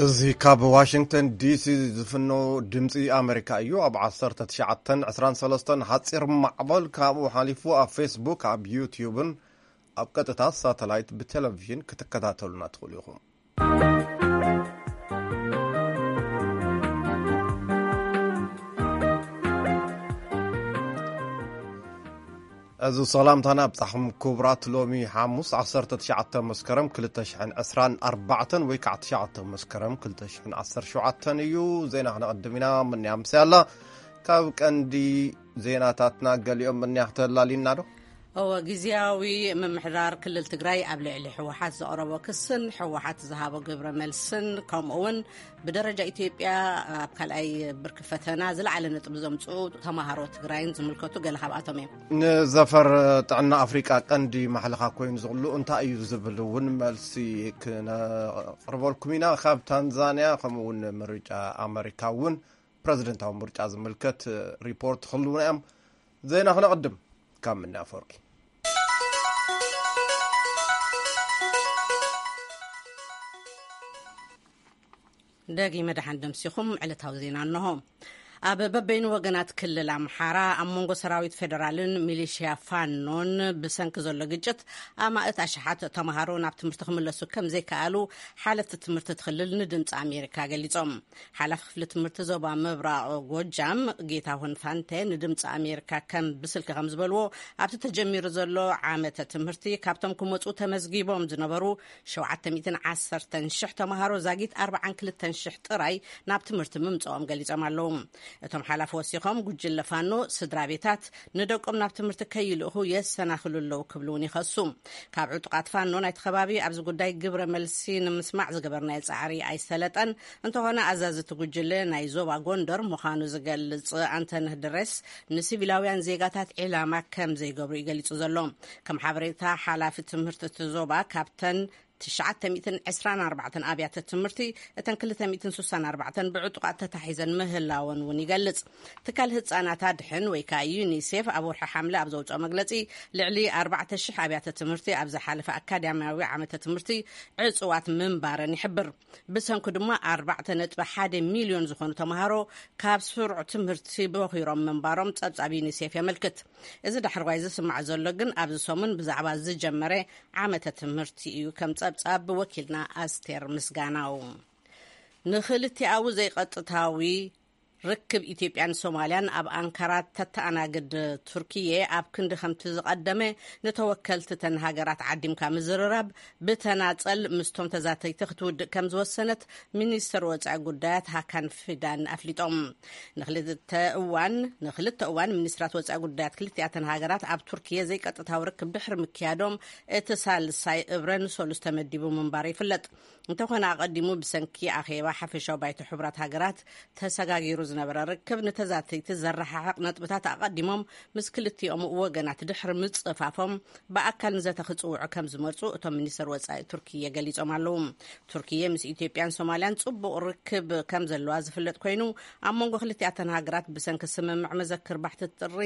እዚ ካብ ዋሽንግተን ዲሲ ዝፍኖ ድምፂ ኣሜሪካ እዩ። ኣብ ዓሰርተ ትሽዓተን ዕስራን ሰለስተን ሓፂር ማዕበል፣ ካብኡ ሓሊፉ ኣብ ፌስቡክ፣ ኣብ ዩትዩብን ኣብ ቀጥታ ሳተላይት ብቴሌቪዥን ክትከታተሉና ትኽእሉ ኢኹም። እዚ ሰላምታና ኣብጻሕኩም ክቡራት። ሎሚ ሓሙስ ዓሰርተ ትሽዓተ መስከረም ክልተ ሽሕን ዕስራን ኣርባዕተን ወይ ከዓ ትሽዓተ መስከረም ክልተ ሽሕን ዓሰርተ ሸውዓተን እዩ። ዜና ክነቐድም ኢና። ምንያ ምስ ያላ ካብ ቀንዲ ዜናታትና ገሊኦም ምንያ ክተላሊና ዶ? እወ፣ ግዝያዊ ምምሕዳር ክልል ትግራይ ኣብ ልዕሊ ህወሓት ዘቕረቦ ክስን ህወሓት ዝሃቦ ግብረ መልስን፣ ከምኡ እውን ብደረጃ ኢትዮጵያ ኣብ ካልኣይ ብርኪ ፈተና ዝለዓለ ነጥቢ ዘምፅኡ ተምሃሮ ትግራይን ዝምልከቱ ገለ ካብኣቶም እዮም። ንዘፈር ጥዕና ኣፍሪቃ ቀንዲ ማሕለኻ ኮይኑ ዝቕሉ እንታይ እዩ ዝብል እውን መልሲ ክነቕርበልኩም ኢና። ካብ ታንዛንያ ከምኡ እውን ምርጫ ኣመሪካ እውን ፕረዚደንታዊ ምርጫ ዝምልከት ሪፖርት ክህልውና እዮም። ዜና ክነቕድም ካብ ምንያ ኣፈወርቂ። ደጊመ ደሓን ደምሲኹም። ዕለታዊ ዜና እንሆ። ኣብ በበይኑ ወገናት ክልል ኣምሓራ ኣብ መንጎ ሰራዊት ፌደራልን ሚሊሽያ ፋኖን ብሰንኪ ዘሎ ግጭት ኣማእት ኣሽሓት ተምሃሮ ናብ ትምህርቲ ክምለሱ ከም ዘይከኣሉ ሓለፍቲ ትምህርቲ እቲ ክልል ንድምፂ ኣሜሪካ ገሊፆም። ሓላፊ ክፍሊ ትምህርቲ ዞባ ምብራቕ ጎጃም ጌታሁን ፋንቴ ንድምፂ ኣሜሪካ ከም ብስልኪ ከም ዝበልዎ፣ ኣብቲ ተጀሚሩ ዘሎ ዓመተ ትምህርቲ ካብቶም ክመፁ ተመዝጊቦም ዝነበሩ ሸውዓተ ሚእትን ዓሰርተን ሽሕ ተምሃሮ ዛጊት ኣርባዓን ክልተን ሽሕ ጥራይ ናብ ትምህርቲ ምምፅኦም ገሊፆም ኣለዉ። እቶም ሓላፊ ወሲኾም፣ ጉጅለ ፋኖ ስድራ ቤታት ንደቆም ናብ ትምህርቲ ከይልእኹ የሰናኽሉ ኣለዉ ክብሉ እውን ይኸሱ። ካብ ዕጡቓት ፋኖ ናይቲ ከባቢ ኣብዚ ጉዳይ ግብረ መልሲ ንምስማዕ ዝገበርናዮ ጻዕሪ ኣይሰለጠን። እንተኾነ፣ ኣዛዚ እቲ ጉጅለ ናይ ዞባ ጎንደር ምዃኑ ዝገልጽ ኣንተነህ ድሬስ፣ ንሲቪላውያን ዜጋታት ዒላማ ከም ዘይገብሩ እዩ ገሊጹ ዘሎ። ከም ሓበሬታ ሓላፊ ትምህርቲ እቲ ዞባ፣ ካብተን ትሽዓተ ሚእትን ዕስራን ኣርባዕተን ኣብያተ ትምህርቲ፣ እተን ክልተ ሚእትን ስሳን ኣርባዕተን ብዕጡቓት ተታሒዘን ምህላወን እውን ይገልጽ። ትካል ህጻናት ኣድሕን ወይ ከኣ ዩኒሴፍ ኣብ ወርሒ ሓምለ ኣብ ዘውጽኦ መግለጺ፣ ልዕሊ ኣርባዕተ ሽሕ ኣብያተ ትምህርቲ ኣብ ዝሓለፈ ኣካዳሚያዊ ዓመተ ትምህርቲ ዕጹዋት ምንባረን ይሕብር። ብሰንኩ ድማ ኣርባዕተ ነጥቢ ሓደ ሚልዮን ዝኾኑ ተምሃሮ ካብ ስሩዕ ትምህርቲ ቦኺሮም ምንባሮም ጸብጻብ ዩኒሴፍ የመልክት። እዚ ዳሕረዋይ ዝስማዕ ዘሎ ግን ኣብዚ ሰሙን ብዛዕባ ዝጀመረ ዓመተ ትምህርቲ እዩ፣ ከም ጸብጻብ ወኪልና ኣስቴር ምስጋናው። ንኽልቲኣዊ ዘይቀጥታዊ ርክብ ኢትዮጵያን ሶማልያን ኣብ ኣንካራ ተተኣናግድ ቱርኪየ፣ ኣብ ክንዲ ከምቲ ዝቐደመ ንተወከልቲ እተን ሃገራት ዓዲምካ ምዝርራብ፣ ብተናጸል ምስቶም ተዛተይቲ ክትውድእ ከም ዝወሰነት ሚኒስትር ወጻኢ ጉዳያት ሃካን ፊዳን ኣፍሊጦም። ንክልተ እዋን ንክልተ እዋን ሚኒስትራት ወጻኢ ጉዳያት ክልቲኣተን ሃገራት ኣብ ቱርኪየ ዘይቀጥታዊ ርክብ ድሕሪ ምክያዶም፣ እቲ ሳልሳይ እብረ ንሰሉስ ተመዲቡ ምንባሩ ይፍለጥ። እንተኾነ፣ ኣቐዲሙ ብሰንኪ ኣኼባ ሓፈሻዊ ባይቶ ሕቡራት ሃገራት ተሰጋጊሩ ዝነበረ ርክብ፣ ንተዛተይቲ ዘረሓሕቕ ነጥብታት ኣቐዲሞም ምስ ክልቲኦም ወገናት ድሕሪ ምጽፋፎም፣ ብኣካል ንዘተ ክጽውዑ ከም ዝመርጹ እቶም ሚኒስትር ወጻኢ ቱርኪየ ገሊጾም ኣለዉ። ቱርኪየ ምስ ኢትዮጵያን ሶማልያን ጽቡቕ ርክብ ከም ዘለዋ ዝፍለጥ ኮይኑ፣ ኣብ መንጎ ክልቲኣተን ሃገራት ብሰንኪ ስምምዕ መዘክር ባሕቲ ጥሪ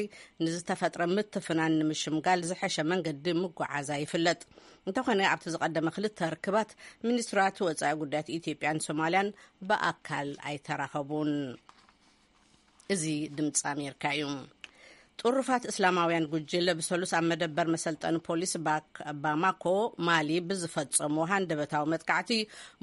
ንዝተፈጥረ ምትፍናን ንምሽምጋል ዝሐሸ መንገዲ ምጓዓዛ ይፍለጥ። እንተኾነ፣ ኣብቲ ዝቐደመ ክልተ ርክባት፣ ሚኒስትራት ወጻኢ ጉዳያት ኢትዮጵያን ሶማልያን ብኣካል ኣይተራኸቡን። እዚ ድምፂ ኣሜሪካ እዩ። ጥሩፋት እስላማውያን ጉጅለ ብሰሉስ ኣብ መደበር መሰልጠኒ ፖሊስ ባክ-፣ ባማኮ፣ ማሊ፣ ብዝፈጸሞ ሃንደበታዊ መጥቃዕቲ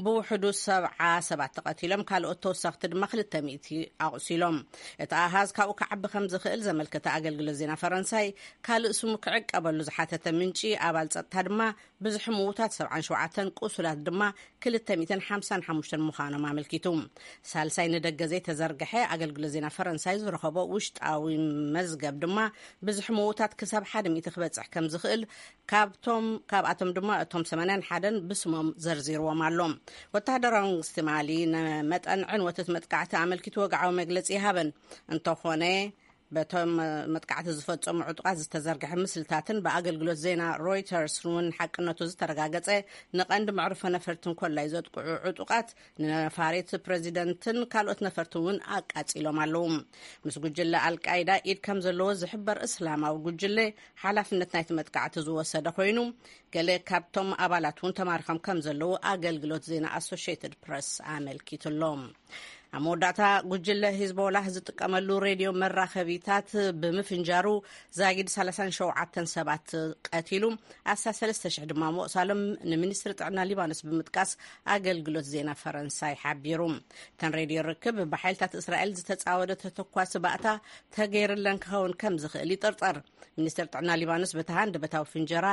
ብውሕዱ ሰብዓ ሰባት ተቐቲሎም፣ ካልኦት ተወሰኽቲ ድማ ክልተ ሚእቲ ኣቑሲሎም። እቲ ኣሃዝ ካብኡ ክዓቢ ከም ዝኽእል ዘመልከተ ኣገልግሎት ዜና ፈረንሳይ፣ ካልእ ስሙ ክዕቀበሉ ዝሓተተ ምንጪ፣ ኣባል ጸጥታ ድማ፣ ብዝሒ ምዉታት ሰብዓን ሸውዓተን፣ ቁሱላት ድማ ክልተ ሚእትን ሓምሳን ሓሙሽተን ምዃኖም ኣመልኪቱ። ሳልሳይ ንደገ ዘይተዘርግሐ ኣገልግሎት ዜና ፈረንሳይ ዝረኸቦ ውሽጣዊ መዝገብ ድማ፣ ብዝሒ ምዉታት ክሳብ ሓደ ሚእቲ ክበጽሕ ከም ዝኽእል፣ ካብቶም፣ ካብኣቶም ድማ እቶም ሰማንያን ሓደን ብስሞም ዘርዚርዎም ኣሎ። ወተሃደራዊ መንግስቲ ማሊ ንመጠን ዕንወት እቲ መጥቃዕቲ ኣመልኪቱ ወግዓዊ መግለጺ ይሃበን። እንተኾነ፣ በቶም መጥቃዕቲ ዝፈጸሙ ዕጡቓት ዝተዘርግሐ ምስልታትን ብኣገልግሎት ዜና ሮይተርስ እውን ሓቅነቱ ዝተረጋገጸ ንቐንዲ መዕርፎ ነፈርቲ እንኮላይ ዘጥቅዑ ዕጡቓት ንነፋሪት ፕሬዚደንትን ካልኦት ነፈርቲ እውን ኣቃጺሎም ኣለዉ። ምስ ጉጅለ ኣልቃይዳ ኢድ ከም ዘለዎ ዝሕበር እስላማዊ ጉጅለ ሓላፍነት ናይቲ መጥቃዕቲ ዝወሰደ ኮይኑ፣ ገለ ካብቶም ኣባላት እውን ተማሪኾም ከም ዘለዉ ኣገልግሎት ዜና ኣሶሽየትድ ፕረስ ኣመልኪቱ ኣሎ። ኣብ መወዳእታ፣ ጉጅለ ሂዝቦላህ ዝጥቀመሉ ሬድዮ መራኸቢታት ብምፍንጃሩ ዛጊድ ሰላሳን ሸውዓተን ሰባት ቀቲሉ፣ ኣስታት ሰለስተ ሽሕ ድማ መቑሳሎም ንሚኒስትሪ ጥዕና ሊባኖስ ብምጥቃስ ኣገልግሎት ዜና ፈረንሳይ ሓቢሩ። እተን ሬድዮ ርክብ ብሓይልታት እስራኤል ዝተጻወደ ተተኳሲ ባእታ ተገይርለን ክኸውን ከም ዝኽእል ይጥርጠር። ሚኒስትሪ ጥዕና ሊባኖስ በቲ ሃንደበታዊ ፍንጀራ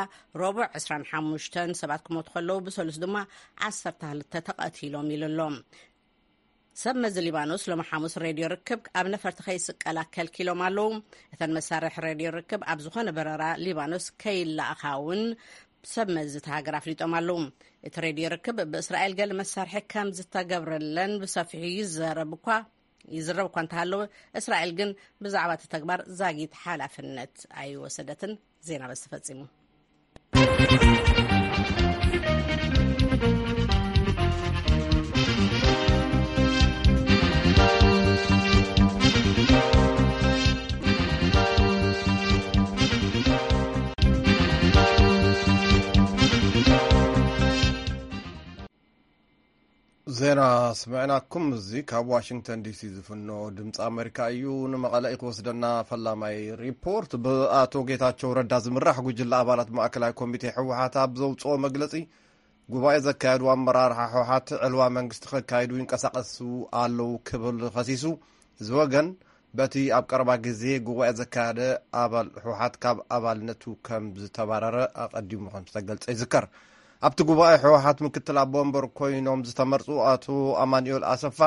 ረቡዕ ዕስራን ሓሙሽተን ሰባት ክሞቱ ከለዉ፣ ብሰሉስ ድማ ዓሰርተ ክልተ ተቐቲሎም ኢሉ ኣሎ። ሰብ መዚ ሊባኖስ ሎሚ ሓሙስ ሬድዮ ርክብ ኣብ ነፈርቲ ከይስቀላ ከልኪሎም ኣለዉ። እተን መሳርሒ ሬድዮ ርክብ ኣብ ዝኾነ በረራ ሊባኖስ ከይለኣኻ እውን ሰብ መዚ እቲ ሃገር ኣፍሊጦም ኣለዉ። እቲ ሬድዮ ርክብ ብእስራኤል ገለ መሳርሒ ከም ዝተገብረለን ብሰፊሑ ይዘረብ እኳ ይዝረብ እኳ እንተሃለወ፣ እስራኤል ግን ብዛዕባ እቲ ተግባር ዛጊት ሓላፍነት ኣይወሰደትን። ዜና በዚ ተፈጺሙ። ዜና ስምዕናኩም። እዚ ካብ ዋሽንግተን ዲሲ ዝፍኖ ድምፂ ኣሜሪካ እዩ። ንመቐለ እዩ ክወስደና ፈላማይ ሪፖርት። ብኣቶ ጌታቸው ረዳ ዝምራሕ ጉጅለ ኣባላት ማእከላይ ኮሚቴ ህወሓት ኣብ ዘውፅኦ መግለፂ፣ ጉባኤ ዘካየዱ ኣመራርሓ ህወሓት ዕልዋ መንግስቲ ከካይዱ ይንቀሳቐሱ ኣለዉ ክብል ከሲሱ። እዚ ወገን በቲ ኣብ ቀረባ ግዜ ጉባኤ ዘካየደ ኣባል ህወሓት ካብ ኣባልነቱ ከም ዝተባረረ ኣቐዲሙ ከም ዝተገልጸ ይዝከር። ኣብቲ ጉባኤ ህወሓት ምክትል ኣቦ ወንበር ኮይኖም ዝተመርጹ ኣቶ ኣማኑኤል ኣሰፋ፣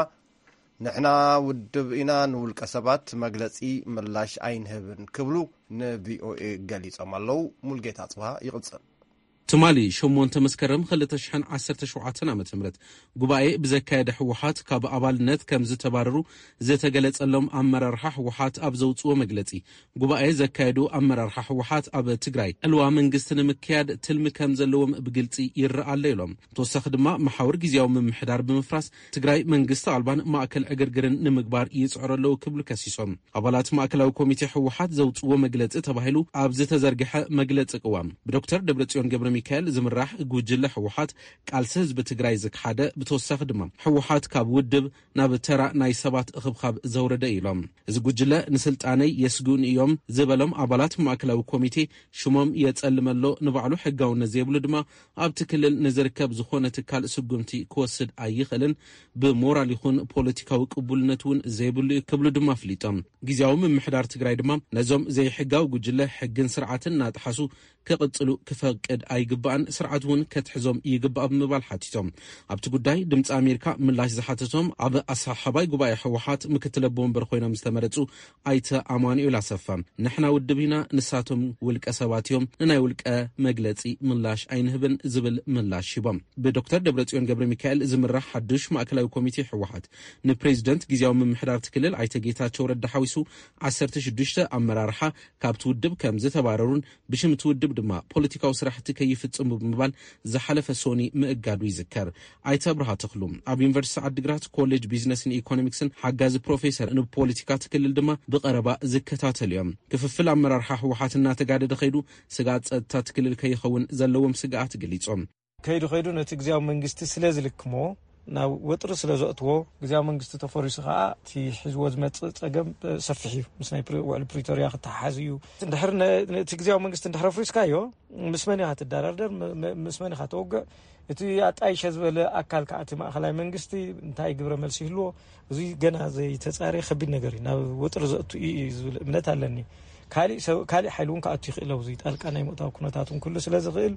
"ንሕና ውድብ ኢና፣ ንውልቀ ሰባት መግለጺ ምላሽ ኣይንህብን" ክብሉ ንቪኦኤ ገሊጾም ኣለዉ። ሙልጌታ ጽብሃ ይቕጽል። ትማሊ ሸሞንተ መስከረም ክልተ ሽሕን ዓሰርተ ሸውዓተን ዓመተ ምህረት ጉባኤ ብዘካየደ ህወሓት ካብ ኣባልነት ከም ዝተባረሩ ዝተገለጸሎም ኣመራርሓ ህወሓት ኣብ ዘውፅዎ መግለጺ፣ ጉባኤ ዘካየዱ ኣመራርሓ ህወሓት ኣብ ትግራይ ዕልዋ መንግስቲ ንምክያድ ትልሚ ከም ዘለዎም ብግልጺ ይረኣ ኣሎ ኢሎም። ተወሳኺ ድማ መሓውር ግዜያዊ ምምሕዳር ብምፍራስ ትግራይ መንግስቲ ኣልባን ማእከል ዕግርግርን ንምግባር ይጽዕሩ ኣለዉ ክብሉ ከሲሶም። ኣባላት ማእከላዊ ኮሚቴ ህወሓት ዘውፅዎ መግለፂ ተባሂሉ ኣብ ዝተዘርግሐ መግለፂ ቅዋም፣ ብዶክተር ደብረፅዮን ገብረ ሚካኤል ዝምራሕ ጉጅለ ህወሓት ቃልሲ ህዝቢ ትግራይ ዝክሓደ፣ ብተወሳኺ ድማ ህወሓት ካብ ውድብ ናብ ተራ ናይ ሰባት እኽብኻብ ዘውረደ ኢሎም። እዚ ጉጅለ ንስልጣነይ የስግኡኒ እዮም ዝበሎም ኣባላት ማእከላዊ ኮሚቴ ሽሞም የፀልመ ኣሎ፣ ንባዕሉ ሕጋውነት ዘይብሉ ድማ ኣብቲ ክልል ንዝርከብ ዝኾነ ትካል ስጉምቲ ክወስድ ኣይኽእልን፣ ብሞራል ይኹን ፖለቲካዊ ቅቡልነት እውን ዘይብሉ እዩ ክብሉ ድማ ኣፍሊጦም። ግዜያዊ ምምሕዳር ትግራይ ድማ ነዞም ዘይሕጋዊ ጉጅለ ሕግን ስርዓትን እናጠሓሱ ክቕጽሉ ክፈቅድ ኣይግባእን፣ ስርዓት እውን ከትሕዞም ይግባእ ብምባል ሓቲቶም። ኣብቲ ጉዳይ ድምፂ ኣሜሪካ ምላሽ ዝሓተቶም ኣብ ኣሰሓሓባይ ጉባኤ ህወሓት ምክትል ኣቦ ወንበር ኮይኖም ዝተመረፁ ኣይተ ኣማኑኤል ኣሰፋ፣ "ንሕና ውድብ ኢና፣ ንሳቶም ውልቀ ሰባት እዮም፣ ንናይ ውልቀ መግለጺ ምላሽ ኣይንህብን" ዝብል ምላሽ ሂቦም። ብዶክተር ደብረጽዮን ገብረ ሚካኤል ዝምራሕ ሓዱሽ ማእከላዊ ኮሚቴ ህወሓት፣ ንፕሬዚደንት ግዜያዊ ምምሕዳር እቲ ክልል ኣይተ ጌታቸው ረዳ ሓዊሱ ዓሰርተ ሽዱሽተ ኣመራርሓ ካብቲ ውድብ ከም ዝተባረሩን ብሽም እቲ ውድብ ድማ ፖለቲካዊ ስራሕቲ ከይፍጽሙ ብምባል ዝሓለፈ ሶኒ ምእጋዱ ይዝከር። ኣይተ ኣብርሃ ተኽሉ ኣብ ዩኒቨርሲቲ ዓዲግራት ኮሌጅ ቢዝነስን ኢኮኖሚክስን ሓጋዚ ፕሮፌሰር፣ ንፖለቲካ እቲ ክልል ድማ ብቐረባ ዝከታተሉ እዮም። ክፍፍል ኣመራርሓ ህወሓት እናተጋደደ ከይዱ ስግኣት ጸጥታ እቲ ክልል ከይኸውን ዘለዎም ስግኣት ገሊጾም። ከይዱ ከይዱ ነቲ ግዜያዊ መንግስቲ ስለ ዝልክሞ፣ ናብ ወጥሪ ስለ ዘእትዎ፣ ግዜያዊ መንግስቲ ተፈሪሱ ከኣ እቲ ሒዝዎ ዝመጽእ ጸገም ሰፊሕ እዩ። ምስ ናይ ፕሪ-፣ ውዕል ፕሪቶርያ ክተሓሓዝ እዩ። እንድሕር ነ-፣ ነቲ ግዜያዊ መንግስቲ እንድሕር ኣፍሪስካዮ፣ ምስ መን ኢኻ ትደራደር? ም-፣ ም-፣ ምስ መን ኢኻ ተወግዕ? እቲ ኣጣይሸ ዝበለ ኣካል ከኣ እቲ ማእኸላይ መንግስቲ እንታይ ግብረ መልሲ ይህልዎ? እዚ ገና ዘይተጻረየ ከቢድ ነገር እዩ። ናብ ወጥሪ ዘእቱ እዩ ዝብል እምነት ኣለኒ። ካሊእ ሰብ፣ ካሊእ ሓይሊ እውን ክኣቱ ይኽእል። ኣብዚ ጣልቃ ናይ ምእታው ኩነታት እውን ክህሉ ስለ ዝኽእል፣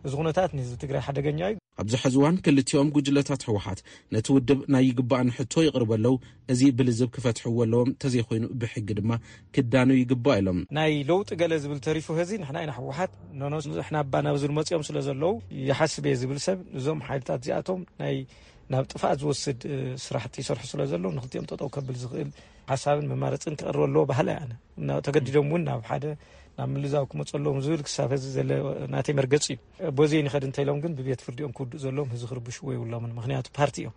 እዚ ኩነታት ንህዝቢ ትግራይ ሓደገኛ እዩ። ኣብዚ ሕዚ እዋን ክልቲኦም ጉጅለታት ህወሓት ነቲ ውድብ ናይ ይግባእን ሕቶ የቕርቡ ኣለዉ። እዚ ብልዝብ ክፈትሕዎ ኣለዎም፣ ተዘይኮይኑ ብሕጊ ድማ ክዳነዩ ይግባእ ኢሎም። ናይ ለውጢ ገለ ዝብል ተሪፉ፣ ህዚ ንሕና ኢና ህወሓት፣ ኖኖ፣ ንሕና እባ ናብዚ ዝመፅኦም ስለ ዘለዉ ይሓስብ እየ ዝብል ሰብ፣ እዞም ሓይልታት እዚኣቶም ናይ ናብ ጥፍኣት ዝወስድ ስራሕቲ ይሰርሑ ስለ ዘለዉ፣ ንክልቲኦም ጠጠው ከብል ዝኽእል ሓሳብን መማረፅን ክቐርበ ኣለዎ ባህሊ ኣነ። ተገዲዶም እውን ናብ ሓደ ናብ ምልዛው ክመፁ ኣለዎም ዝብል ክሳብ ሕዚ ዘለ ናተይ መርገፂ እዩ። በዚ ንኸድ እንተኢሎም ግን ብቤት ፍርዲኦም ክውድኡ ዘለዎም ህዚ ክርብሽዎ የብሎምን። ምክንያቱ ፓርቲ እዮም፣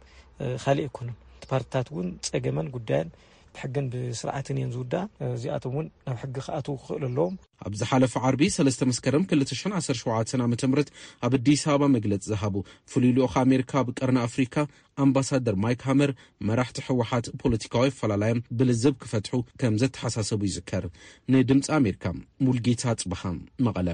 ካልእ ኣይኮኑን። ፓርትታት እውን ፀገመን ጉዳየን ብሕግን ብስርዓትን እየን ዝውዳ። እዚኣቶም እውን ናብ ሕጊ ክኣትዉ ክኽእሉ ኣለዎም። ኣብ ዝሓለፈ ዓርቢ ሰለስተ መስከረም ክልተ ሽሕን ዓሰርተ ሸውዓተን ዓመተ ምህረት ኣብ ኣዲስ ኣበባ መግለጺ ዝሃቡ ፍሉይ ልኡኽ ኣሜሪካ ኣብ ቀርኒ ኣፍሪካ ኣምባሳደር ማይክ ሃመር፣ መራሕቲ ህወሓት ፖለቲካዊ ኣፈላላዮም ብልዝብ ክፈትሑ ከም ዘተሓሳሰቡ ይዝከር። ንድምፂ ኣሜሪካ ሙልጌታ ጽብሃ፣ መቐለ።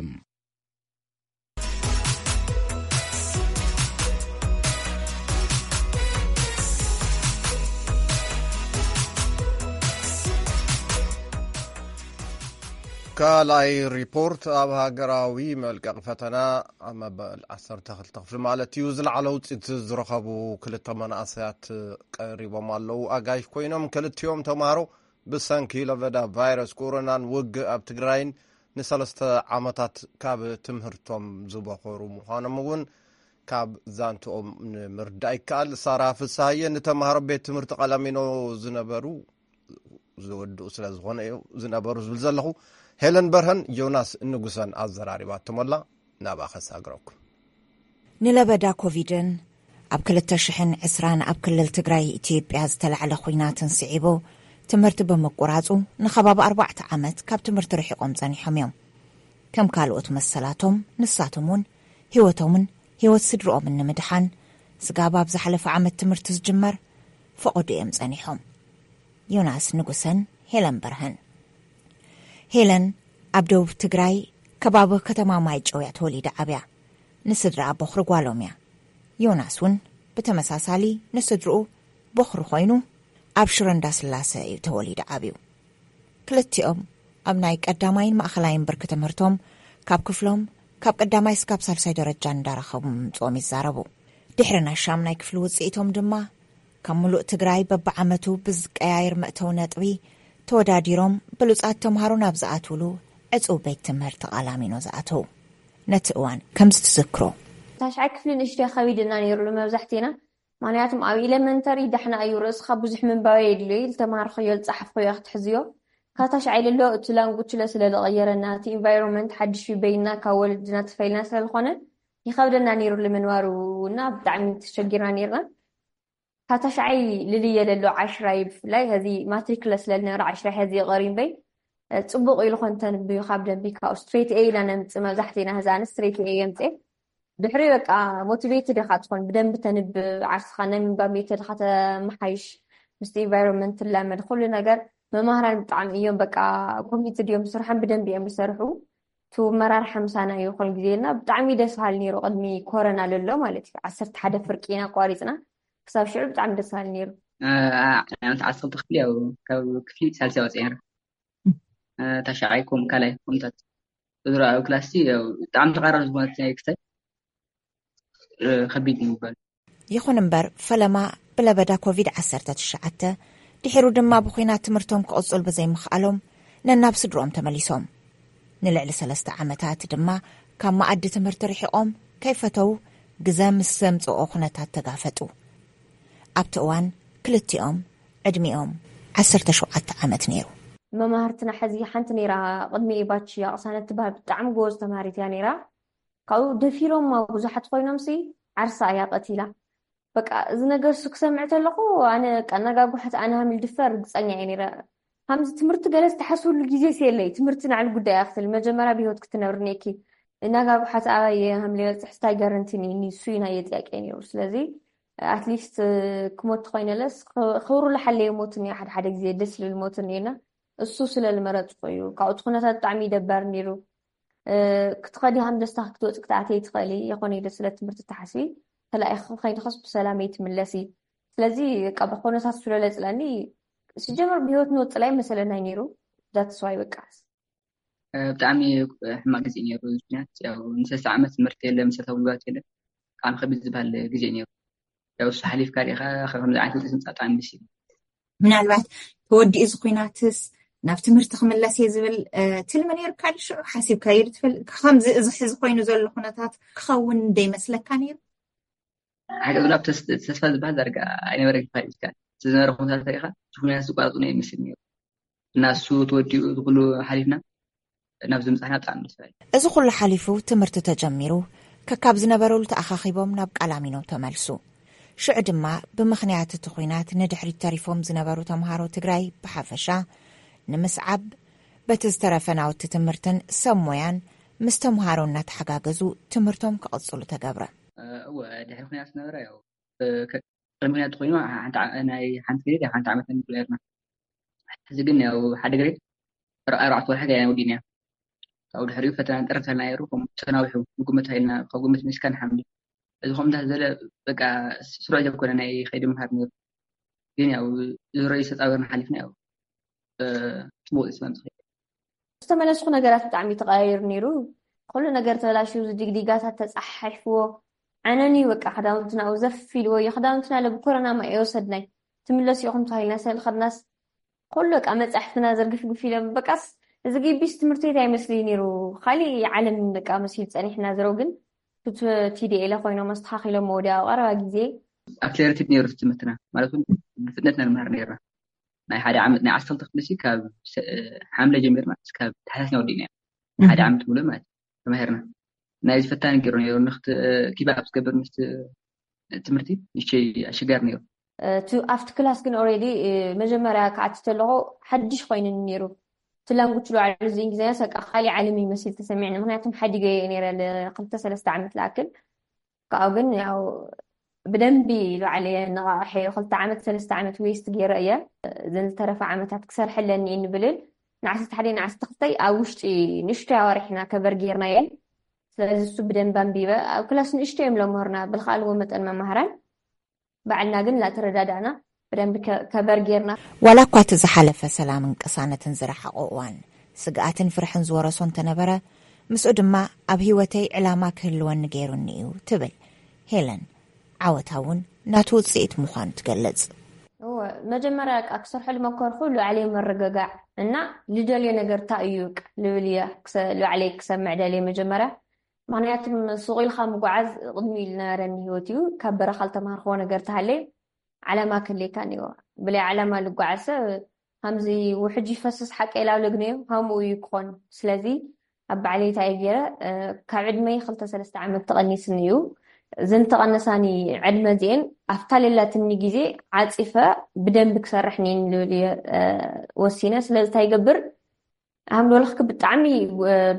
ካልኣይ ሪፖርት፣ ኣብ ሃገራዊ መልቀቂ ፈተና ኣብ መበል ዓሰርተ ክልተ ክፍሊ ማለት እዩ ዝለዓለ ውፅኢት ዝረኸቡ ክልተ መናእሰያት ቀሪቦም ኣለዉ። ኣጋይሽ ኮይኖም ክልቲኦም ተምሃሮ ብሰንኪ ለበዳ ቫይረስ ኮሮናን ውግእ ኣብ ትግራይን ንሰለስተ ዓመታት ካብ ትምህርቶም ዝበኾሩ ምዃኖም እውን ካብ ዛንትኦም ንምርዳእ ይከኣል። ሳራ ፍስሃየ ንተምሃሮ ቤት ትምህርቲ ቀላሚኖ ዝነበሩ ዝወድኡ ስለ ዝኾነ እዩ ዝነበሩ ዝብል ዘለኹ። ሄለን በርሀን ዮናስ ንጉሰን ኣዘራሪባቶም ኣላ። ናብኣ ከሳግረኩም። ንለበዳ ኮቪድን ኣብ ክልተ ሽሕን ዕስራን ኣብ ክልል ትግራይ ኢትዮጵያ ዝተላዕለ ኹናትን ስዒቡ ትምህርቲ ብምቁራፁ ንኸባቢ ኣርባዕተ ዓመት ካብ ትምህርቲ ርሒቖም ጸኒሖም እዮም። ከም ካልኦት መሰላቶም ንሳቶም እውን ህይወቶምን ህይወት ስድርኦምን ንምድሓን ስጋብ ኣብ ዝሓለፈ ዓመት ትምህርቲ ዝጅመር ፈቐዶ እዮም ጸኒሖም። ዮናስ ንጉሰን ሄለን በርሀን። ሄለን ኣብ ደቡብ ትግራይ ከባቢ ከተማ ማይጨው እያ ተወሊዳ ዓብያ። ንስድራ ቦኽሪ ጓሎም እያ። ዮናስ እውን ብተመሳሳሊ ንስድርኡ ቦኽሪ ኮይኑ ኣብ ሽረ እንዳስላሰ እዩ ተወሊዱ ዓብዩ። ክልቲኦም ኣብ ናይ ቀዳማይን ማእኸላይን ብርኪ ትምህርቶም ካብ ክፍሎም ካብ ቀዳማይ እስካብ ሳልሳይ ደረጃ እንዳረኸቡ ምምፅኦም ይዛረቡ። ድሕሪ ናይ ሻምናይ ክፍሊ ውፅኢቶም ድማ ካብ ሙሉእ ትግራይ በብዓመቱ ብዝቀያየር መእተዊ ነጥቢ ተወዳዲሮም ብሉፃት ተምሃሮ ናብ ዝኣትውሉ ዕፁው ቤት ትምህርቲ ቃላሚኖ ዝኣተው። ነቲ እዋን ከምዚ ትዝክሮ። ታሽዓይ ክፍሊ ንእሽተይ ከቢድና ነይሩ ንመብዛሕቴና፣ ምክንያቱም ኣብ ኢለመንተሪ ዳሕና እዩ ርእስኻ ብዙሕ ምንባብ የድልዮ እዩ፣ ዝተምሃርክዮ ዝፀሓፍክዮ ክትሕዝዮ። ካብ ታሽዓይ ልሎ እቲ ላንጉች ለ ስለ ዝቐየረና፣ እቲ ኢንቫይሮንመንት ሓድሽ እዩ፣ በይንና ካብ ወለድና ተፈሊና ስለ ዝኾነ ይኸብደና ነይሩ ንምንባሩ እና ብጣዕሚ ተሸጊርና ነይርና። ካብ ታሽዓይ ልልየ ለሎ ዓሽራይ ብፍላይ ሀዚ ማትሪክ ለ ስለ ዝነበረ ዓሽራይ ሀዚ ይቐር እምበይ፣ እ፣ ጽቡቕ ኢሉ ኮን ተንብዩ ካብ ደንቢ ካብኡ ስትሬት ኤ ኢላ ነምጽእ መብዛሕቴና ሀዚ ኣነ ስትሬት ኤ የምጽእ። ድሕሪ በቃ ሞቲቬትድ ኢኻ ትኾን ብደንቢ ተንብ ዓርስኻ ናይ ምንባብ ሜተድኻ ተመሓይሽ ምስቲ ኢንቫይሮንመንት ትላመድ ኩሉ ነገር። መማህራን ብጣዕሚ እዮም በቃ ኮሚትድ እዮም ስርሖም ብደንቢ እዮም ዝሰርሑ። እቲ መራርሓ ምሳና እዩ ኩሉ ግዜ እና ብጣዕሚ ደስ በሃሊ ነይሩ። ቅድሚ ኮረና ለሎ ማለት እዩ ዓሰርተ ሓደ ፍርቂ ኢና ኣቋሪፅና ክሳብ ሽዑ ብጣዕሚ ደስ በሃሊ ነይሩ። ዓመት ዓሰርተ ክፍሊ ያው ካብ ክፍሊ ሳልሳይ ወፂአ ነይረ። ታሽዓይ ከምኡ ካልኣይ ከምኡታት ዝረኣዩ ክላስ ያው ብጣዕሚ ተቃራረብ ዝኾነት ናይ ክስታይ ከቢድ እዩ ይባል። ይኹን እምበር ፈለማ ብለበዳ ኮቪድ ዓሰርተ ትሽዓተ ድሒሩ ድማ ብኹናት ትምህርቶም ክቕጽሉ ብዘይምኽኣሎም ነናብ ስድርኦም ተመሊሶም። ንልዕሊ ሰለስተ ዓመታት ድማ ካብ መኣዲ ትምህርቲ ርሒቖም ከይፈተው ግዘ ምስ ዘምጽኦ ኩነታት ተጋፈጡ። ኣብቲ እዋን ክልቲኦም ዕድሚኦም ዓሰርተ ሸውዓተ ዓመት ነይሩ። መማህርትና ሕዚ ሓንቲ ነይራ ቅድሚ ባች ያቕሳነት ትበሃል ብጣዕሚ ጎበዝ ተምሃሪት እያ ነይራ። ካብኡ ደፊሮማ ብዙሓት ኮይኖምሲ ዓርሳ እያ ቀቲላ። በቃ እዚ ነገር እሱ ክሰምዕ ተለኹ ኣነ በቃ እናጋጉሐት ኣነ ሃሚል ድፈር ርግፀኛ እየ ነይረ። ከምዚ ትምህርቲ ገለ ዝተሓስብሉ ግዜ የለይ። ትምህርቲ ንዓል ጉዳይ እያ ክትብል መጀመርያ ብህይወት ክትነብር እኒኤኪ። እናጋጉሓት ኣባይ እየ ሃምለ በፅሕ ስታይ ጋረንቲ እኒኒ እሱ እዩ ናይ ጥያቄ ነይሩ። ስለዚ ኣትሊስት ክሞት ተኮይነለስ ክብሩ ለሓለየ ሞት እኒኦ ሓደ ሓደ ግዜ ደስ ልብል ሞት እኒኦና እሱ ስለ ዝመረፅኩ እዩ። ካብኡ እቲ ኩነታት ብጣዕሚ ይደባር ነይሩ። ክትኸዲ ሃምደስታ ክትወፂ ክትኣተይ ትኽእሊ የኾነ ኢለ ስለ ትምህርቲ ተሓስቢ ተላኢኺ ከይድኽስ ብሰላመይ ትምለሲ። ስለዚ በቃ ብኮነታት ስለለፅለኒ ሲጀመር ብህይወት ንወፅእ ላይ መሰለናይ ነይሩ። ዳትስዋይ በቃ ብጣዕሚ ሕማቅ ግዜ ነይሩ። ምክንያት ያው ንሰለስተ ዓመት ትምህርቲ የለ መሰረታዊ ግባት የለ ብጣዕሚ ከቢድ ዝበሃል ግዜ ነይሩ። ያው እሱ ሓሊፍካ ዲኻ ከምዚ ዓይነት ውፅኢት ምፃእ ብጣዕሚ ደስ ይብል። ምናልባት ተወዲኡ እዚ ኩናትስ ናብ ትምህርቲ ክምለስ እየ ዝብል ትልሚ ነይርካ ድዩ? ሽዑ ሓሲብካዮ ዶ ትፈልጥ? ከምዚ እዚ ሕዚ ኮይኑ ዘሎ ኩነታት ክኸውን ዶ ይመስለካ ነይሩ? ሓቂ ዝብላ ተስፋ ዝበሃል ዳርጋ ኣይነበረ። ፋይልካ ዝነበረ ኩነታት ሪኢኻ እቲ ኩነታት ዝቋረፁ ናይ ይመስል ነይሩ። እና እሱ ተወዲኡ ዝኩሉ ሓሊፍና ናብ ዝምፃሕና ብጣዕሚ ደስ በሃሊ። እዚ ኩሉ ሓሊፉ ትምህርቲ ተጀሚሩ፣ ከካብ ዝነበረሉ ተኣኻኺቦም ናብ ቃላሚኖ ተመልሱ። ሽዑ ድማ ብምኽንያት እቲ ኲናት ንድሕሪት ተሪፎም ዝነበሩ ተምሃሮ ትግራይ ብሓፈሻ ንምስዓብ፣ በቲ ዝተረፈ ናውቲ ትምህርትን ሰብ ሞያን ምስ ተምሃሮ እናተሓጋገዙ ትምህርቶም ክቕፅሉ ተገብረ። እወ፣ ድሕሪ ኩናት ዝነበረ ያው ቅድሚ ኩናት ኮይኑ ናይ ሓንቲ ግሬድ ሓንቲ ዓመት ንብሎ ነርና። ሕዚ ግን ያው ሓደ ግሬድ ኣርባዕተ ወርሒ ገና ወዲእና። ካብኡ ድሕሪኡ ፈተና ንጠርፍ ተልና ነይሩ። ከም ተናዊሑ ንግምት ኢልና ካብ ግምት ምስካ ንሓምድ እዚ ከምታት ዘለ በቃ ስሩዕ ዘይኮነ ናይ ከይዲ ምሃር ነይሩ። ግን ያው ዝረዩ ዝተፃበርና ሓሊፍና ያው ፅቡቅ ስመምፅ ዝተመለስኩ ነገራት ብጣዕሚ ተቀያይሩ ነይሩ። ኩሉ ነገር ተበላሽዩ፣ ዝድግዲጋታት ተፃሓሒፍዎ። ዓነን እዩ በቃ ክዳውንትና ኣብኡ ዘፍ ኢልዎ እዩ። ክዳውንትና ለ ብኮረና ማ እየ ወሰድናይ። ትምለሱ ኢኹም ተባሂልና ሰልኸድናስ ኩሉ በቃ መፃሕፍትና ዘርግፍግፍ ኢሎም በቃስ እዚ ግቢስ ትምህርቲ ቤት ኣይመስል ነይሩ። ካሊእ ዓለም በቃ መሲሉ ፀኒሕና ዝረው ግን ቲዲኤለ ኮይኖም ኣስተካኪሎም ወዲያ ኣብ ቀረባ ግዜ ኣክሌሬትድ ነይሩ ትምህርትና ማለት እውን ብፍጥነትና ንመሃር ነይርና። ናይ ሓደ ዓመት ናይ ዓሰርተ ክፍሊ ካብ ሓምለ ጀሚርና እስካብ ታሕሳስና ወዲእና ሓደ ዓመት ሙሉ ማለት ተማሂርና። ናይዚ ፈታኒ ገይሩ ነይሩ። ንክት ኪባብ ዝገብር ምስ ትምህርቲ ንሸይ ኣሸጋሪ ነይሩ። ኣብቲ ክላስ ግን ኦሬዲ መጀመርያ ክኣቲ ተለኹ ሓድሽ ኮይኑኒ ነይሩ። እቲ ላንጉች ባዕሉ እዚ እንግሊዝኛ ሰቃ ካሊእ ዓለም ይመስል ተሰሚዕኒ። ምክንያቱም ሓዲገ እየ ነይረ ክልተ ሰለስተ ዓመት ዝኣክል። ካብኡ ግን ያው ብደንቢ ባዕለ እየ ነቃቂሐዮ። ክልተ ዓመት ሰለስተ ዓመት ዌስት ገይረ እየ። እዘን ዝተረፈ ዓመታት ክሰርሐለን እየ ንብልን ንዓሰርተ ሓደ ንዓሰርተ ክልተ ኣብ ውሽጢ ንእሽቶይ ኣዋርሕ ኢና ከቨር ገይርናየን። ስለዚ እሱ ብደንብ ኣንቢበ ኣብ ክላስ ንእሽቶ እዮም ለምህርና ብልክኣልዎ መጠን መማህራን ባዕልና ግን ላተረዳዳእና ብደንብ ከበር ጌርና። ዋላ እኳ እቲ ዝሓለፈ ሰላምን ቅሳነትን ዝረሓቖ እዋን ስግኣትን ፍርሕን ዝወረሶ እንተነበረ፣ ምስኡ ድማ ኣብ ህይወተይ ዕላማ ክህልወኒ ገይሩኒ እዩ ትብል ሄለን። ዓወታ እውን ናቱ ውፅኢት ምዃኑ ትገልጽ። እወ፣ መጀመርያ በቃ ክሰርሖ ዝመከርኩ ልባዕለይ ምርግጋዕ እና ልደልዮ ነገር እንታይ እዩ ልብል እየ። ልባዕለይ ክሰምዕ ደልየ መጀመርያ። ምኽንያቱ ሱቕ ኢልካ ምጉዓዝ ቅድሚኡ ዝነበረኒ ህይወት እዩ። ካብ በረኻ ዝተምሃርክዎ ነገር እንተሃለየ ዓላማ ክህልየካ እኒኦ። ብለይ ዓላማ ዝጓዓዝ ሰብ ከምዚ ውሕጅ ይፈስስ ሓቀይ ኢላ ብለግንዮ ከምኡ እዩ ክኾን። ስለዚ ኣብ ባዕለይ እንታይ እየ ገይረ፣ ካብ ዕድመይ ክልተ ሰለስተ ዓመት ተቐኒስኒ እዩ። እዘን ዝተቐነሳኒ ዕድመ እዚኤን ኣብታ ለላትኒ ግዜ ዓፂፈ ብደንቢ ክሰርሕ እኒአኒ ልብል እየ ወሲነ። ስለዚ እንታይ ይገብር፣ ሃምዶልኽክ ብጣዕሚ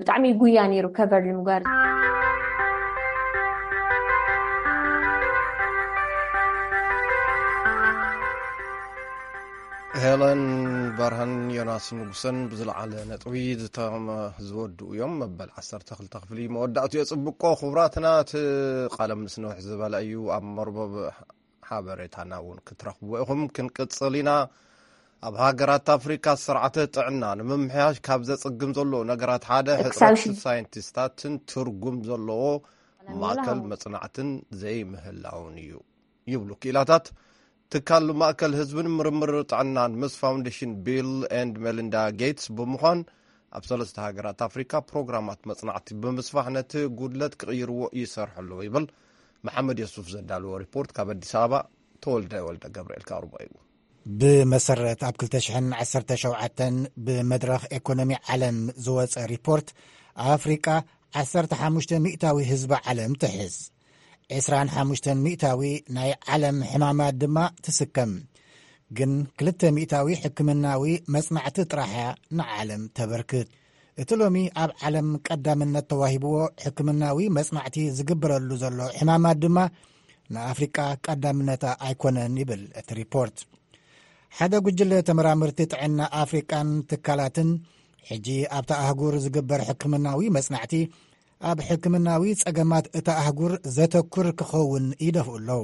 ብጣዕሚ ጉያ ነይሩ ከቨር ንምግባር። ሄለን በርሀን ዮናስ ንጉሰን ብዝለዓለ ነጥቢ ዝተመ ዝወድኡ እዮም። መበል ዓሰርተ ክልተ ክፍሊ መወዳእቱ የፅብቆ። ክቡራትና እቲ ቃለ ምልስ ነውሕ ዝበለ እዩ። ኣብ መርበብ ሓበሬታና እውን ክትረኽብዎ ኢኹም። ክንቅፅል ኢና። ኣብ ሃገራት ኣፍሪካ ስርዓተ ጥዕና ንምምሕያሽ ካብ ዘፅግም ዘሎ ነገራት ሓደ ሕፅረት ሳይንቲስታትን ትርጉም ዘለዎ ማእከል መፅናዕትን ዘይምህላውን እዩ ይብሉ ክኢላታት ትካል ማእከል ህዝብን ምርምር ጥዕናን ምስ ፋውንዴሽን ቢል ኤንድ ሜሊንዳ ጌትስ ብምዃን ኣብ ሰለስተ ሃገራት ኣፍሪካ ፕሮግራማት መፅናዕቲ ብምስፋሕ ነቲ ጉድለት ክቕይርዎ ይሰርሑ ኣለዉ ይብል። መሓመድ የሱፍ ዘዳለዎ ሪፖርት ካብ ኣዲስ ኣበባ ተወልደ ወልደ ገብርኤል ካርቦ እዩ። ብመሰረት ኣብ ክልተ ሽሕን ዓሰርተ ሸውዓተን ብመድረኽ ኤኮኖሚ ዓለም ዝወፀ ሪፖርት ኣፍሪቃ ዓሰርተ ሓሙሽተ ሚእታዊ ህዝቢ ዓለም ትሕዝ። ዕስራን ሓሙሽተን ሚእታዊ ናይ ዓለም ሕማማት ድማ ትስከም። ግን ክልተ ሚእታዊ ሕክምናዊ መጽናዕቲ ጥራሕ እያ ንዓለም ተበርክት። እቲ ሎሚ ኣብ ዓለም ቀዳምነት ተዋሂብዎ ሕክምናዊ መጽናዕቲ ዝግበረሉ ዘሎ ሕማማት ድማ ንኣፍሪቃ ቀዳምነታ ኣይኮነን ይብል እቲ ሪፖርት። ሓደ ጉጅለ ተመራመርቲ ጥዕና ኣፍሪቃን ትካላትን ሕጂ ኣብታ ኣህጉር ዝግበር ሕክምናዊ መጽናዕቲ ኣብ ሕክምናዊ ጸገማት እታ ኣህጉር ዘተኩር ክኸውን ይደፍኡ ኣለዉ።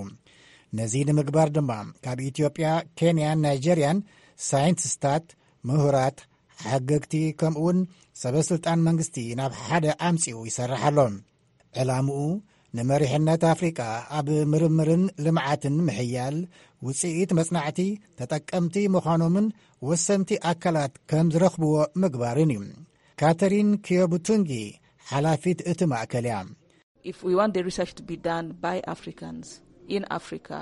ነዚ ንምግባር ድማ ካብ ኢትዮጵያ፣ ኬንያን ናይጀርያን ሳይንቲስታት፣ ምሁራት፣ ሓገግቲ ከምኡውን ሰበ ስልጣን መንግስቲ ናብ ሓደ ኣምጺኡ ይሰርሕ ኣሎ። ዕላምኡ ንመሪሕነት ኣፍሪቃ ኣብ ምርምርን ልምዓትን ምሕያል፣ ውጽኢት መጽናዕቲ ተጠቀምቲ ምዃኖምን ወሰንቲ ኣካላት ከም ዝረኽብዎ ምግባርን እዩ። ካተሪን ኪዮቡቱንጊ ሓላፊት እቲ ማእከል እያ። If we want the research to be done by Africans, in Africa.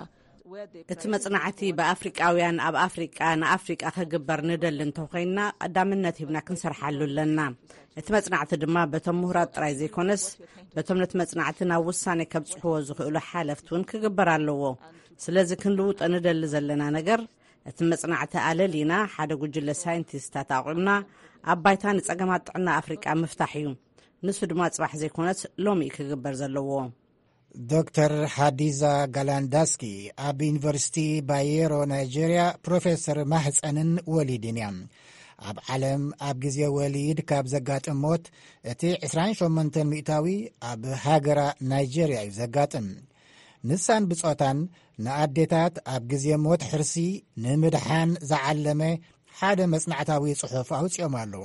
እቲ መጽናዕቲ ብኣፍሪቃውያን ኣብ ኣፍሪቃ ንኣፍሪቃ ክግበር ንደሊ እንተኾይንና፣ ቀዳምነት ሂብና ክንሰርሓሉ ኣለና። እቲ መጽናዕቲ ድማ በቶም ምሁራት ጥራይ ዘይኮነስ፣ በቶም ነቲ መጽናዕቲ ናብ ውሳኔ ከብጽሕዎ ዝኽእሉ ሓለፍቲ እውን ክግበር ኣለዎ። ስለዚ ክንልውጦ ንደሊ ዘለና ነገር፣ እቲ መጽናዕቲ ኣለሊና ሓደ ጉጅለ ሳይንቲስታት ኣቑምና ኣብ ባይታ ንጸገማት ጥዕና ኣፍሪቃ ምፍታሕ እዩ። ንሱ ድማ ጽባሕ ዘይኮነስ ሎሚ እዩ ክግበር ዘለዎ። ዶክተር ሃዲዛ ጋላንዳስኪ ኣብ ዩኒቨርሲቲ ባየሮ ናይጀርያ ፕሮፌሰር ማህፀንን ወሊድን እያ። ኣብ ዓለም ኣብ ግዜ ወሊድ ካብ ዘጋጥም ሞት እቲ ዕስራን ሸሞንተን ሚእታዊ ኣብ ሃገራ ናይጀርያ እዩ ዘጋጥም። ንሳን ብጾታን ንኣዴታት ኣብ ግዜ ሞት ሕርሲ ንምድሓን ዝዓለመ ሓደ መጽናዕታዊ ጽሑፍ ኣውጺኦም ኣለዉ።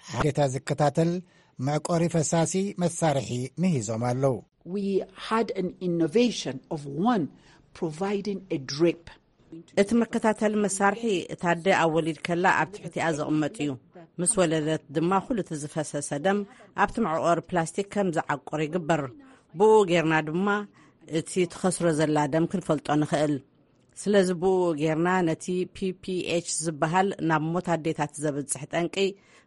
ሓደታ ዝከታተል መዕቆሪ ፈሳሲ መሳርሒ ምሂዞም ኣለዉ። We had an innovation of one providing a drip. እቲ መከታተሊ መሳርሒ እታ ኣደ ኣብ ወሊድ ከላ ኣብ ትሕቲኣ ዝቕመጥ እዩ። ምስ ወለደት ድማ ኩሉ እቲ ዝፈሰሰ ደም ኣብቲ መዕቆሪ ፕላስቲክ ከም ዝዓቁር ይግበር። ብኡ ጌርና ድማ እቲ ትኸስሮ ዘላ ደም ክንፈልጦ ንኽእል። ስለዚ ብኡ ጌርና ነቲ ፒ ፒ ኤች ዝበሃል ናብ ሞት ኣዴታት ዘብጽሕ ጠንቂ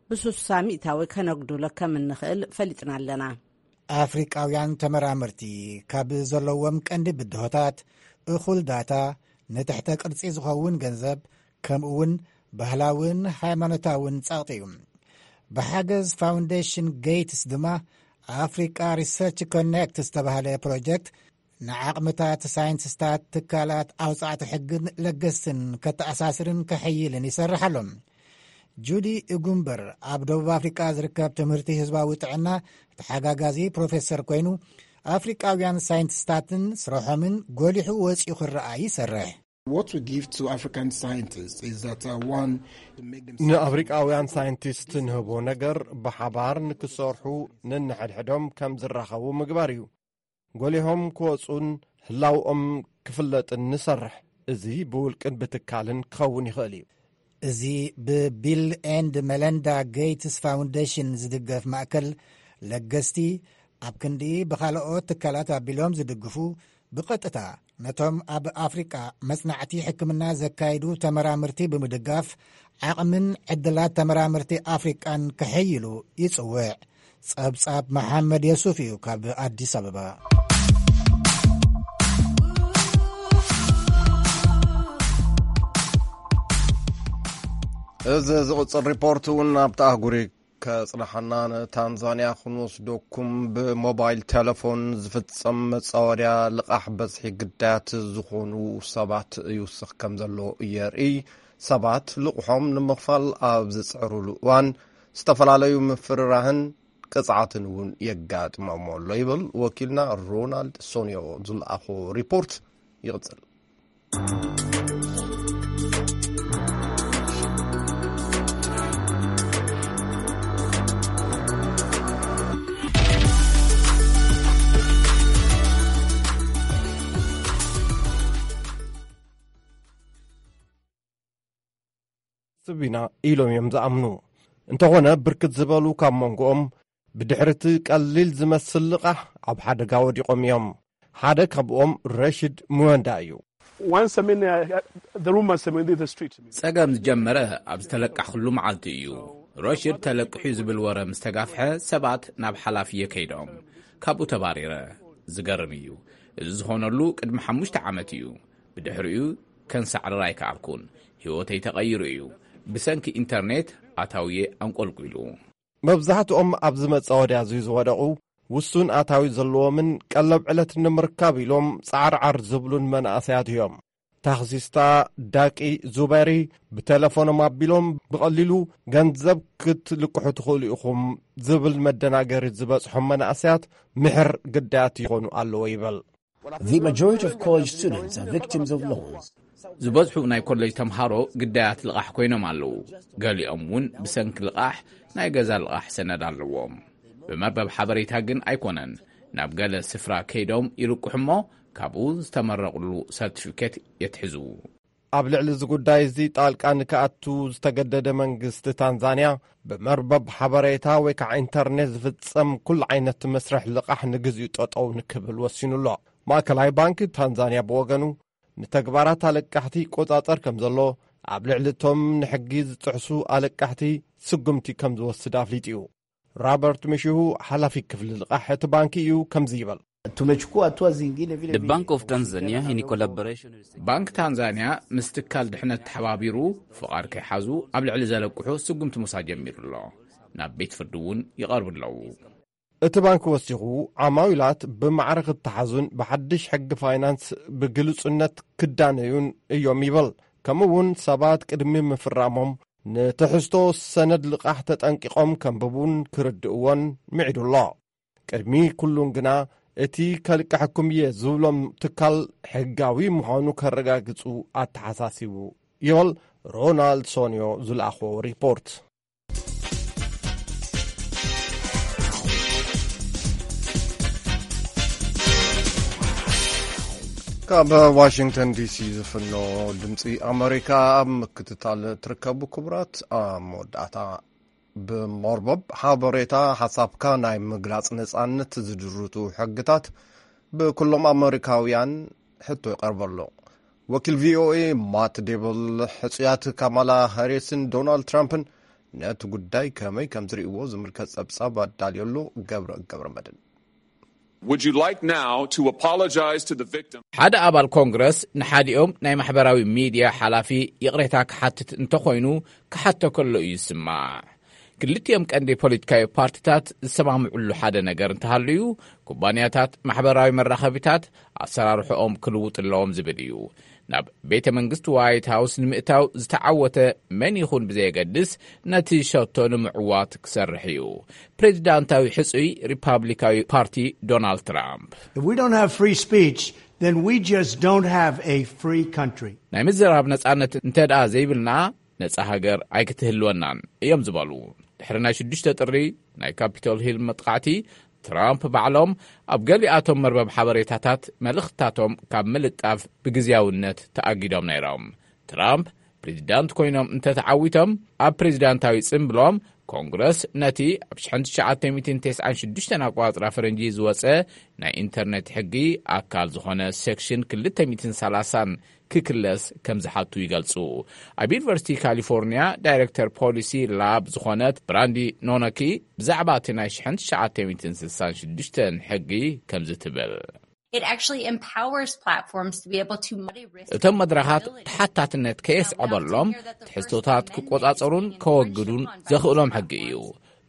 ብስሳ ሚእታዊ ከነጉድሎ ከም እንኽእል ፈሊጥና ኣለና። ኣፍሪቃውያን ተመራመርቲ ካብ ዘለዎም ቀንዲ ብድሆታት እኹል ዳታ፣ ንትሕተ ቅርጺ ዝኸውን ገንዘብ፣ ከምኡ እውን ባህላውን ሃይማኖታውን ጸቕጢ እዩ። ብሓገዝ ፋውንዴሽን ጌትስ ድማ ኣፍሪቃ ሪሰርች ኮኔክት ዝተባህለ ፕሮጀክት ንዓቕምታት ሳይንቲስታት፣ ትካላት ኣውጻዕቲ ሕግን ለገስትን ከተኣሳስርን ከሐይልን ይሰርሕ ኣሎ። ጁዲ እጉምበር ኣብ ደቡብ ኣፍሪቃ ዝርከብ ትምህርቲ ህዝባዊ ጥዕና ተሓጋጋዚ ፕሮፌሰር ኮይኑ፣ ኣፍሪቃውያን ሳይንቲስታትን ስርሖምን ጎሊሑ ወጺኡ ክረኣ ይሰርሕ። What we give to African scientists is that, uh, one, it make them ንኣፍሪቃውያን ሳይንቲስት ንህቦ ነገር ብሓባር ንክሰርሑ ነንሕድሕዶም ከም ዝራኸቡ ምግባር እዩ። ጎሊሆም ክወጹን ህላውኦም ክፍለጥን ንሰርሕ። እዚ ብውልቅን ብትካልን ክኸውን ይኽእል እዩ። እዚ ብቢል ኤንድ መለንዳ ጌትስ ፋውንዴሽን ዝድገፍ ማእከል፣ ለገስቲ ኣብ ክንዲ ብኻልኦት ትካላት ኣቢሎም ዝድግፉ፣ ብቐጥታ ነቶም ኣብ ኣፍሪቃ መጽናዕቲ ሕክምና ዘካይዱ ተመራመርቲ ብምድጋፍ፣ ዓቕምን ዕድላት ተመራመርቲ ኣፍሪቃን ከሐይሉ ይጽውዕ። ጸብጻብ መሓመድ የሱፍ እዩ ካብ ኣዲስ ኣበባ። እዚ ዝቕጽል ሪፖርት እውን ኣብቲ ኣህጉር እዩ። ከጽናሓና ንታንዛንያ ክንወስደኩም። ብሞባይል ቴሌፎን ዝፍጸም መጻወድያ ልቓሕ በዝሒ ግዳያት ዝኾኑ ሰባት ይውስኽ ከም ዘሎ የርኢ። ሰባት ልቑሖም ንምኽፋል ኣብ ዝጽዕሩሉ እዋን ዝተፈላለዩ ምፍርራህን ቅጽዓትን እውን የጋጥሞም ኣሎ ይብል ወኪልና ሮናልድ ሶንዮ ዝለኣኾ ሪፖርት። ይቕጽል። ስብ ኢና ኢሎም እዮም ዝኣምኑ። እንተኾነ ብርክት ዝበሉ ካብ መንጎኦም ብድሕሪ እቲ ቀሊል ዝመስል ልቓሕ ኣብ ሓደጋ ወዲቖም እዮም። ሓደ ካብኦም ረሽድ ምወንዳ እዩ። Once, I mean, uh, the rumors, I mean, the street. ጸገም ዝጀመረ ኣብ ዝተለቃሕኩሉ መዓልቲ እዩ። ረሽድ ተለቂሑ ዝብል ወረ ምስ ተጋፍሐ ሰባት ናብ ሓላፍየ ከይዶም ካብኡ ተባሪረ። ዝገርም እዩ። እዚ ዝኾነሉ ቅድሚ ሓሙሽተ ዓመት እዩ። ብድሕሪኡ ከንሳዕርር ኣይከኣልኩን። ህይወተይ ተቐይሩ እዩ። ብሰንኪ ኢንተርኔት ኣታውየ ኣንቆልቂሉ። መብዛሕትኦም ኣብዚ መጻወድያ እዚ ዝወደቑ ውሱን ኣታዊ ዘለዎምን ቀለብ ዕለት ንምርካብ ኢሎም ጻዕርዓር ዝብሉን መናእሰያት እዮም። ታኽሲስታ ዳቂ ዙበሪ ብቴሌፎኖም ኣቢሎም ብቐሊሉ ገንዘብ ክትልቅሑ ትኽእሉ ኢኹም ዝብል መደናገሪ ዝበጽሖም መናእሰያት ምሕር ግዳያት ይኾኑ ኣለዎ ይበል። The majority of college students are victims of loans. ዝበዝሑ ናይ ኮሌጅ ተምሃሮ ግዳያት ልቓሕ ኮይኖም ኣለዉ። ገሊኦም እውን ብሰንኪ ልቓሕ ናይ ገዛ ልቓሕ ሰነድ ኣለዎም። ብመርበብ ሓበሬታ ግን ኣይኮነን። ናብ ገለ ስፍራ ከይዶም ይልቅሑ እሞ ካብኡ ዝተመረቕሉ ሰርቲፊኬት የትሕዙ። ኣብ ልዕሊ እዚ ጉዳይ እዚ ጣልቃ ንክኣቱ ዝተገደደ መንግስቲ ታንዛንያ ብመርበብ ሓበሬታ ወይ ከዓ ኢንተርኔት ዝፍጸም ኩሉ ዓይነት መስርሕ ልቓሕ ንግዚኡ ጠጠው ንክብል ወሲኑ ኣሎ። ማእከላይ ባንክ ታንዛንያ ብወገኑ፣ ንተግባራት ኣለቃሕቲ ይቆጻጸር ከም ዘሎ፣ ኣብ ልዕሊ እቶም ንሕጊ ዝጥሕሱ ኣለቃሕቲ ስጉምቲ ከም ዝወስድ ኣፍሊጡ እዩ። ራበርት ምሽሁ፣ ሓላፊ ክፍሊ ልቓሕ እቲ ባንክ እዩ፣ ከምዚ ይብል። Tumechukua hatua zingine vile The vile Bank of Tanzania, in collaboration with ባንክ ታንዛንያ ምስ ትካል ድሕነት ተሓባቢሩ፣ ፍቓድ ከይሓዙ ኣብ ልዕሊ ዘለቅሑ ስጉምቲ ምውሳድ ጀሚሩ ኣሎ። ናብ ቤት ፍርዲ እውን ይቐርቡ ኣለዉ። እቲ ባንክ ወሲኹ፣ ዓማዊላት ብማዕረ ክተሓዙን ብሓድሽ ሕጊ ፋይናንስ ብግሉጽነት ክዳነዩን እዮም ይብል። ከምኡ እውን ሰባት ቅድሚ ምፍራሞም ንትሕዝቶ ሰነድ ልቓሕ ተጠንቂቖም ከንብቡን ክርድእዎን ምዒዱ ኣሎ። ቅድሚ ኩሉን ግና፣ እቲ ከልቅሐኩም እየ ዝብሎም ትካል ሕጋዊ ምዃኑ ከረጋግጹ ኣተሓሳሲቡ ይብል ሮናልድ ሶንዮ ዝለኣኾ ሪፖርት። ካብ ዋሽንግተን ዲሲ ዝፍኖ ድምፂ ኣመሪካ ኣብ ምክትታል ትርከቡ ክቡራት፣ ኣብ መወዳእታ ብመርበብ ሓበሬታ ሓሳብካ ናይ ምግላፅ ነፃነት ዝድርቱ ሕግታት ብኩሎም ኣመሪካውያን ሕቶ ይቐርበሉ። ወኪል ቪኦኤ ማት ዴብል ሕፁያት ካማላ ሃሪስን ዶናልድ ትራምፕን ነቲ ጉዳይ ከመይ ከም ዝርእይዎ ዝምልከት ጸብጻብ ኣዳልየሉ። ገብረ ገብረ መድን። Would you like now to apologize to the victim? ሓደ ኣባል ኮንግረስ ንሓዲኦም ናይ ማሕበራዊ ሚድያ ሓላፊ ይቕሬታ ክሓትት እንተኾይኑ ክሓቶ ከሎ እዩ ዝስማዕ። ክልቲኦም ቀንዲ ፖለቲካዊ ፓርቲታት ዝሰማምዕሉ ሓደ ነገር እንተሃልዩ፣ ኩባንያታት ማሕበራዊ መራኸቢታት ኣሰራርሕኦም ክልውጡ ኣለዎም ዝብል እዩ። ናብ ቤተ መንግስቲ ዋይት ሃውስ ንምእታው ዝተዓወተ መን ይኹን ብዘየገድስ፣ ነቲ ሸቶ ንምዕዋት ክሰርሕ እዩ። ፕሬዚዳንታዊ ሕጹይ ሪፓብሊካዊ ፓርቲ ዶናልድ ትራምፕ። If we don't have free speech, then we just don't have a free country. ናይ ምዝራብ ነጻነት እንተ ደኣ ዘይብልና፣ ነጻ ሃገር ኣይክትህልወናን እዮም ዝበሉ። ድሕሪ ናይ ሽዱሽተ ጥሪ ናይ ካፒቶል ሂል መጥቃዕቲ፣ ትራምፕ ባዕሎም ኣብ ገሊኣቶም መርበብ ሓበሬታታት መልእኽትታቶም ካብ ምልጣፍ ብግዝያውነት ተኣጊዶም ነይሮም። ትራምፕ ፕሬዚዳንት ኮይኖም እንተተዓዊቶም፣ ኣብ ፕሬዚዳንታዊ ጽምብሎም ኮንግረስ ነቲ ኣብ ሽሕን ትሽዓተ ሚእትን ተስዓን ሽዱሽተን ኣቆጻጽራ ፈረንጂ ዝወጸ ናይ ኢንተርኔት ሕጊ ኣካል ዝኾነ ሴክሽን ክልተ ሚእትን ሰላሳን ክክለስ ከም ዝሓቱ ይገልጹ። ኣብ ዩኒቨርሲቲ ካሊፎርኒያ ዳይሬክተር ፖሊሲ ላብ ዝኾነት ብራንዲ ኖኖኪ ብዛዕባ እቲ ናይ ሽሕን ትሽዓተ ሚእትን ስሳን ሽዱሽተን ሕጊ ከምዚ ትብል። It actually empowers platforms to be able to measure risk እቶም መድረኻት ተሓታትነት ከየስዕበሎም ትሕዝቶታት ክቆጻጸሩን ከወግዱን ዘኽእሎም ሕጊ እዩ።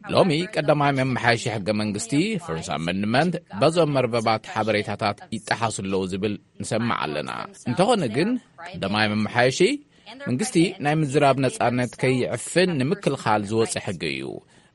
ሎሚ ቀዳማይ መመሓየሺ ሕገ መንግስቲ፣ ፈርስት ኣመንድመንት፣ በዞም መርበባት ሓበሬታታት ይጠሓሱ ኣለዉ ዝብል ንሰምዕ ኣለና። እንተኾነ ግን ቀዳማይ መመሓየሺ መንግስቲ ናይ ምዝራብ ነጻነት ከይዕፍን ንምክልኻል ዝወጸ ሕጊ እዩ።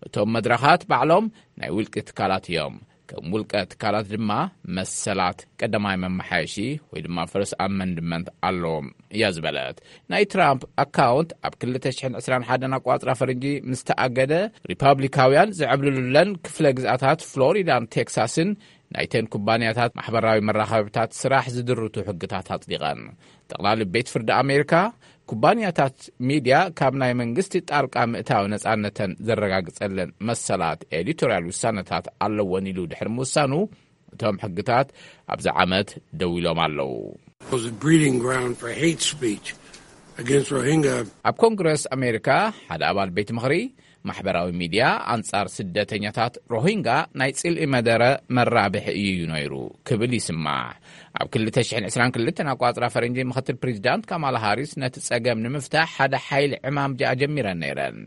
እቶም መድረኻት ባዕሎም ናይ ውልቂ ትካላት እዮም። ከም ውልቀ ትካላት ድማ መሰላት ቀዳማይ መመሓየሺ ወይ ድማ ፈርስት ኣመንድመንት ኣለዎም እያ ዝበለት። ናይ ትራምፕ ኣካውንት ኣብ ክልተ ሽሕን ዕስራን ሓደን ኣቋጽራ ፈረንጂ ምስ ተኣገደ፣ ሪፓብሊካውያን ዝዕብልሉለን ክፍለ ግዝኣታት ፍሎሪዳን ቴክሳስን ናይተን ኩባንያታት ማሕበራዊ መራኸብታት ስራሕ ዝድርቱ ሕግታት ኣጽዲቐን። ጠቕላሊ ቤት ፍርዲ ኣሜሪካ፣ ኩባንያታት ሚድያ ካብ ናይ መንግስቲ ጣልቃ ምእታው ነጻነተን ዘረጋግጸለን መሰላት ኤዲቶርያል ውሳነታት ኣለወን ኢሉ ድሕሪ ምውሳኑ፣ እቶም ሕግታት ኣብዚ ዓመት ደው ኢሎም ኣለዉ። Was a breeding ground for hate speech against Rohingya. ኣብ ኮንግረስ ኣሜሪካ ሓደ ኣባል ቤት ምኽሪ፣ ማሕበራዊ ሚድያ ኣንጻር ስደተኛታት ሮሂንጋ ናይ ጽልኢ መደረ መራብሒ እዩ ነይሩ ክብል ይስማዕ። ኣብ ክልተ ሽሕን ዕስራን ክልተን ኣቋጽራ ፈረንጂ፣ ምኽትል ፕሬዚዳንት ካማላ ሃሪስ ነቲ ጸገም ንምፍታሕ ሓደ ሓይሊ ዕማም ጀሚረን ነይረን።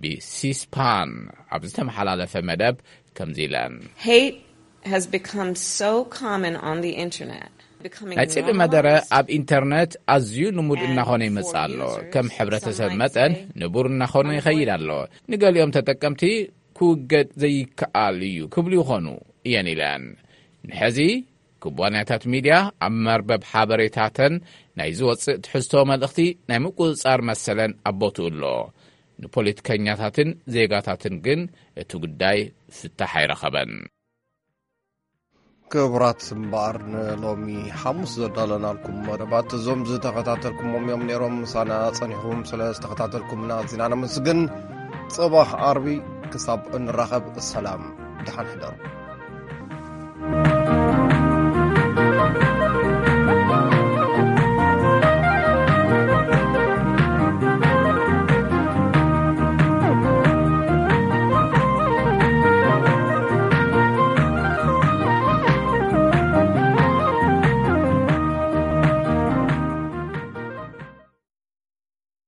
ብሲስፓን ኣብ ዝተመሓላለፈ መደብ ከምዚ ኢለን። Hate has become so common on the internet, becoming ናይ ጽልኢ መደረ ኣብ ኢንተርነት ኣዝዩ ልሙድ እናኾነ ይመጽእ ኣሎ። ከም ሕብረተሰብ መጠን ንቡር እናኾነ ይኸይድ ኣሎ። ንገሊኦም ተጠቀምቲ ክውገድ ዘይከኣል እዩ ክብሉ ይኾኑ እየን ኢለን። ንሕዚ ኩባንያታት ሚድያ ኣብ መርበብ ሓበሬታተን ናይ ዝወጽእ ትሕዝቶ መልእኽቲ ናይ ምቁጽጻር መሰለን ኣብ ቦትኡ ኣሎ። ንፖለቲከኛታትን ዜጋታትን ግን እቲ ጉዳይ ፍታሕ ኣይረኸበን። ክቡራት፣ እምበኣር ንሎሚ ሓሙስ ዘዳለናልኩም መደባት እዞም ዝተኸታተልኩሞም እዮም ነይሮም። ምሳና ጸኒሕኩም ስለ ዝተኸታተልኩምና ኣዚና ነመስግን። ጽባሕ ዓርቢ ክሳብ እንራኸብ ሰላም፣ ደሓን ሕደሩ።